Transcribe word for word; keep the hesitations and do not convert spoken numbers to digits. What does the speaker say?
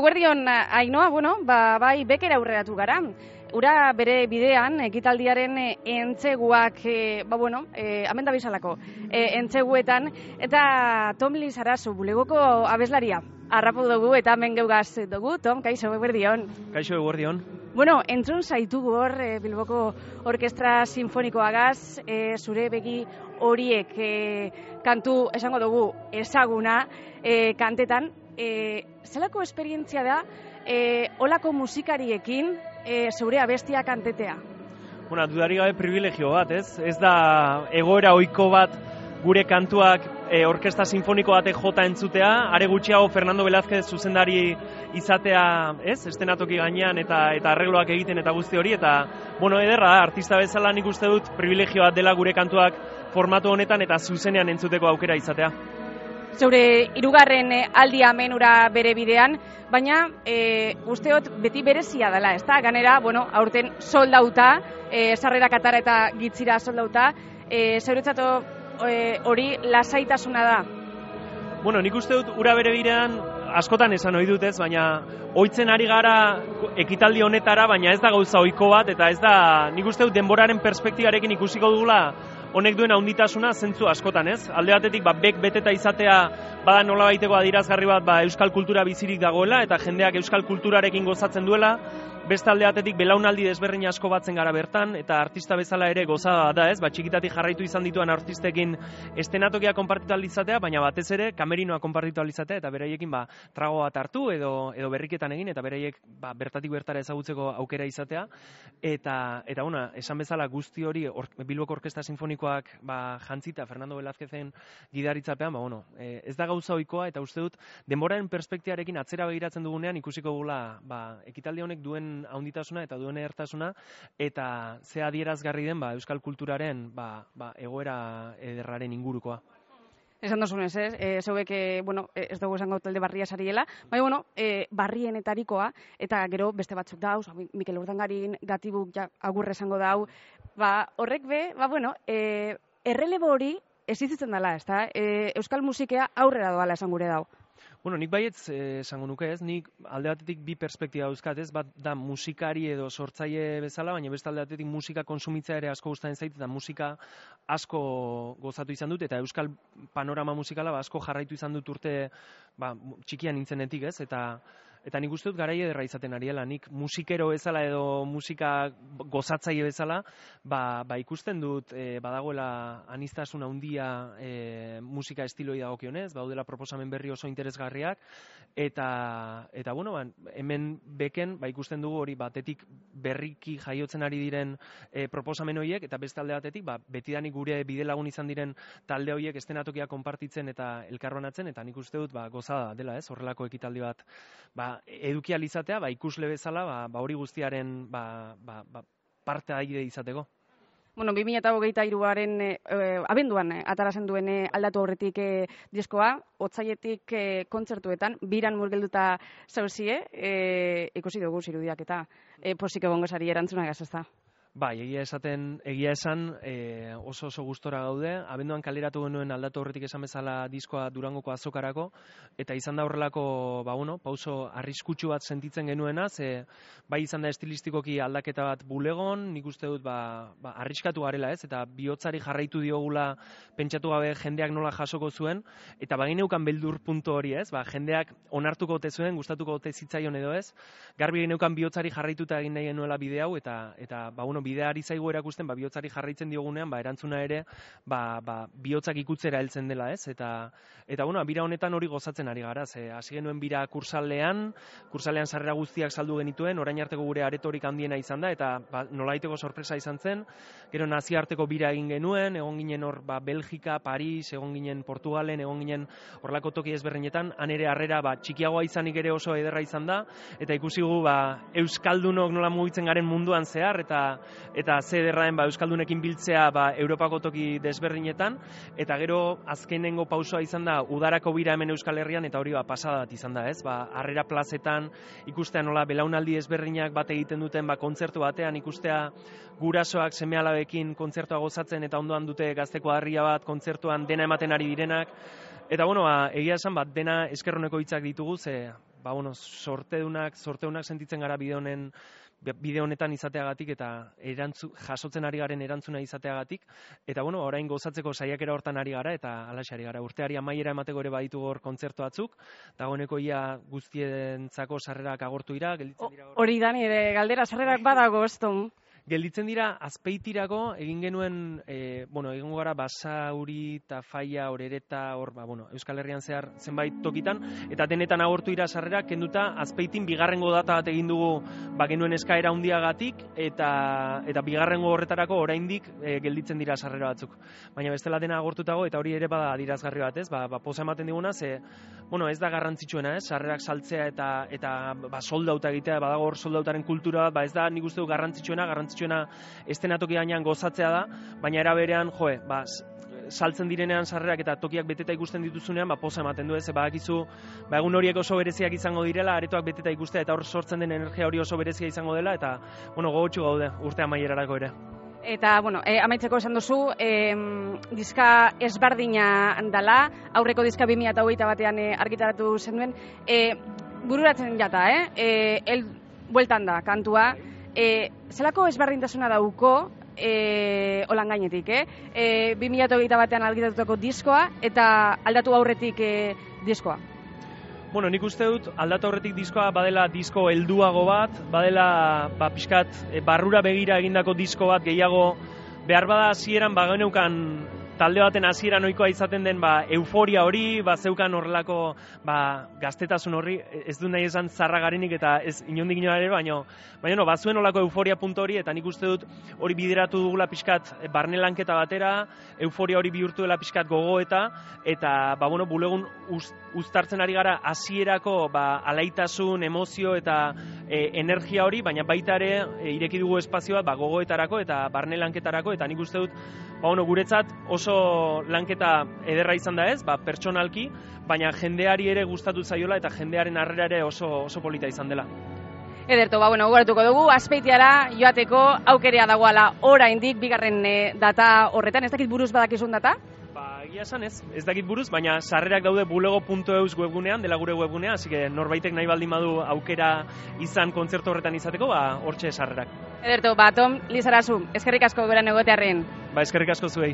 Eguerdion, Ainoa, bueno, ba, bai bekera aurreratu gara. Ura bere bidean, ekitaldiaren entzeguak, e, ba bueno, e, amen da bizalako, e, entzeguetan, eta Tom Lizarazu, bulegoko abeslaria, harrapu dugu eta hemen geugaz dugu. Tom, kaixo, eguerdion. Kaixo, eguerdion. Bueno, entzun zaitugu hor, e, Bilboko Orkestra Sinfonikoagaz, e, zure begi horiek e, kantu esango dugu ezaguna e, kantetan. E, zelako esperientzia da, e, olako musikariekin e, zure abestia kantetea? Bueno, dudari gabe privilegio bat, ez? Ez da egoera ohiko bat gure kantuak e, orkestra sinfoniko batek jota entzutea, are gutxiago Fernando Velázquez zuzendari izatea, ez? Estenatoki gainean eta eta arregloak egiten eta guzti hori, eta, bueno, ederra da, artista bezala nik uste dut privilegio bat dela gure kantuak formatu honetan eta zuzenean entzuteko aukera izatea. Zeure hirugarren aldia menura bere bidean, baina e, usteot beti berezia dela, ezta? Ganera, bueno, aurten soldauta, e, sarrerak atara eta gitzira soldauta, e, zeuretzat hori lasaitasuna da? Bueno, nik uste dut ura bere bidean askotan esan ohi dut, ez, baina ohitzen ari gara ekitaldi honetara, baina ez da gauza ohiko bat, eta ez da, nik uste dut denboraren perspektibarekin ikusiko dugula honek duen handitasuna zentzu askotan, ez? Alde batetik, ba, bek beteta izatea bada nolabaiteko adierazgarri bat, ba, euskal kultura bizirik dagoela eta jendeak euskal kulturarekin gozatzen duela. Beste alde batetik belaunaldi desberdin asko batzen gara bertan eta artista bezala ere gozada da, ez? Ba, txikitatik jarraitu izan dituen artistekin estenatokia konpartitu ahal izatea, baina batez ere kamerinoa konpartitu ahal izatea eta beraiekin ba trago bat hartu edo edo berriketan egin eta beraiek ba, bertatik bertara ezagutzeko aukera izatea eta eta una, esan bezala guzti hori or, Bilboko Orkestra Sinfonikoak ba jantzita Fernando Velázquezen gidaritzapean, ba bueno, e, ez da gauza ohikoa eta uste dut denboraren perspektibarekin atzera begiratzen dugunean ikusiko dugula ba ekitaldi honek duen handitasuna eta duen edertasuna eta ze adierazgarri den ba euskal kulturaren ba, ba egoera ederraren ingurukoa. Esan dozunez, ez? E, zeuek, e, bueno, ez dugu esango talde barria sariela, baina, bueno, e, barrienetarikoa, eta gero beste batzuk dauz, Mikel Urdangarin, Gatibuk ja, agurre esango dau, ba, horrek be, ba, bueno, e, errelebo hori existitzen dela, ez da? E, euskal musikea aurrera doala esan gure dau. Bueno, nik baietz esango nuke, ez? Nik alde batetik bi perspektiba dauzkat, ez? Bat da musikari edo sortzaile bezala, baina beste alde batetik musika konsumitza ere asko gustatzen zait eta musika asko gozatu izan dut eta euskal panorama musikala ba, asko jarraitu izan dut urte ba, txikian nintzenetik, ez? Eta Eta nik uste dut garai ederra izaten ariela, nik musikero bezala edo musika gozatzaile bezala, ba, ba ikusten dut e, badagoela aniztasun handia e, musika estiloi dagokionez, daudela proposamen berri oso interesgarriak, eta, eta bueno, ba, hemen beken ba, ikusten dugu hori batetik berriki jaiotzen ari diren e, proposamen horiek, eta beste alde batetik, ba, betidanik gure bidelagun izan diren talde horiek estenatokia konpartitzen eta elkarbanatzen, eta nik uste dut ba, gozada dela, ez, horrelako ekitaldi bat, ba, eduki ahal izatea, ba, ikusle bezala, ba, ba, hori guztiaren ba, ba, ba, parte aire izateko. Bueno, bi mila hogeita hiruaren e, abenduan e, atarazen duen e, aldatu aurretik e, diskoa, otsailetik e, kontzertuetan, biran murgelduta zauzie, e, ikusi dugu zirudiak eta e, posik egongo sari erantzunagaz, ez da? Bai, egia esaten, egia esan e, oso oso gustora gaude. Abenduan kaleratu genuen aldatu horretik esan bezala diskoa Durangoko azokarako, eta izan da horrelako, ba bueno, pauso arriskutsu bat sentitzen genuena, ze bai izan da estilistikoki aldaketa bat bulegon, nik uste dut ba, ba arriskatu garela, ez, eta bihotzari jarraitu diogula pentsatu gabe jendeak nola jasoko zuen, eta bagineukan beldur puntu hori, ez, ba jendeak onartuko ote zuen, gustatuko ote zitzaion edo ez, garbi geneukan bihotzari jarraituta egin nahi genuela bide hau, eta eta ba bueno, bideari zaigu erakusten, ba, bihotzari jarraitzen diogunean, ba, erantzuna ere, ba, ba, bihotzak ikutzera heltzen dela, ez? Eta, eta bueno, bira honetan hori gozatzen ari gara, ze hasi genuen bira kursaldean, kursaldean sarrera guztiak saldu genituen, orain arteko gure aretorik handiena izan da, eta ba, nolaiteko sorpresa izan zen, gero nazioarteko bira egin genuen, egon ginen hor, ba, Belgika, Paris, egon ginen Portugalen, egon ginen horrelako toki ezberdinetan, han ere harrera, ba, txikiagoa izanik ere oso ederra izan da, eta ikusi gu, ba, euskaldunok nola mugitzen garen munduan zehar, eta eta ze ederraen ba, euskaldunekin biltzea ba, Europako toki desberdinetan, eta gero azkenengo pausoa izan da udarako bira hemen Euskal Herrian, eta hori ba, pasada bat izan da, ez? Ba, harrera plazetan ikustea nola belaunaldi ezberdinak bat egiten duten ba, kontzertu batean, ikustea gurasoak seme-alabekin kontzertua gozatzen eta ondoan dute gazteko harria bat kontzertuan dena ematen ari direnak, eta bueno, ba, egia esan bat dena eskerroneko hitzak ditugu, ze ba, bueno, sortedunak, sorteunak sentitzen gara bide honen bide honetan izateagatik eta erantzu, jasotzen ari garen erantzuna izateagatik, eta bueno, orain gozatzeko saiakera hortan ari gara, eta alaxe ari gara. Urteari amaiera emateko ere baditu hor kontzertu batzuk, dagoeneko ia guztientzako sarrerak agortu dira, gelditzen dira. Hori da nire galdera, sarrerak badago, eston. Gelditzen dira Azpeitirako egin genuen, e, bueno, egingo gara Basauri eta Faia, Orereta, hor, ba, bueno, Euskal Herrian zehar zenbait tokitan, eta denetan agortu dira sarrerak, kenduta Azpeitin bigarrengo data bat egin dugu, ba, genuen eskaera handiagatik, eta eta bigarrengo horretarako oraindik e, gelditzen dira sarrera batzuk. Baina bestela dena agortutago, eta hori ere bada adierazgarri bat, ez? Ba, ba poza ematen diguna, ze, bueno, ez da garrantzitsuena, ez? Sarrerak saltzea eta eta ba, soldauta egitea, badago hor soldautaren kultura, ba, ez da nik uste du garrantzitsuena, garrantzitsuena estenatoki gainean gozatzea da, baina era berean, joe, ba, saltzen direnean sarrerak eta tokiak beteta ikusten dituzunean, ba, poza ematen du, ez, badakizu, ba, egun horiek oso bereziak izango direla, aretoak beteta ikustea, eta hor sortzen den energia hori oso berezia izango dela, eta, bueno, gogotsu gaude, urte amaierarako ere. Eta, bueno, e, amaitzeko esan duzu, e, diska ezberdina dala, aurreko diska bi mila hogeita batean e, argitaratu zenuen, e, bururatzen jata, eh? E, el, bueltan da, kantua, E, zelako ezberdintasuna dauko e, holan gainetik, eh? E, bi mila hogeita batean argitatutako diskoa eta aldatu aurretik e, diskoa? Bueno, nik uste dut aldatu aurretik diskoa badela disko helduago bat, badela ba, pixkat e, barrura begira egindako disko bat gehiago, behar bada hasieran ba geneukan talde baten hasiera ohikoa izaten den ba, euforia hori, ba, zeukan horrelako ba, gaztetasun horri, ez du nahi esan zarra garenik eta ez inondik inora ere, baina baina no, bazuen horrelako euforia puntu hori, eta nik uste dut hori bideratu dugula pixkat barne lanketa batera, euforia hori bihurtu dela pixkat gogoeta, eta ba, bueno, bulegun uz, uztartzen ari gara hasierako ba, alaitasun, emozio eta e, energia hori, baina baita ere e, ireki dugu espazioa ba, gogoetarako eta barne lanketarako, eta nik uste dut ba, bueno, guretzat oso lanketa ederra izan da ez, ba, pertsonalki, baina jendeari ere gustatu zaiola eta jendearen harrera ere oso, oso polita izan dela. Ederto, ba, bueno, gogoratuko dugu, Azpeitiara joateko aukerea dagoala oraindik bigarren e, data horretan, ez dakit buruz badakizun data? Ba, egia esan ez, ez dakit buruz, baina sarrerak daude bulego puntu eus webgunean, dela gure webgunea, así que norbaitek nahi baldin badu aukera izan kontzertu horretan izateko, ba, hortxe sarrerak. Ederto, ba, Tom Lizarazu, eskerrik asko beran egotearren. Ba, eskerrik asko zuei.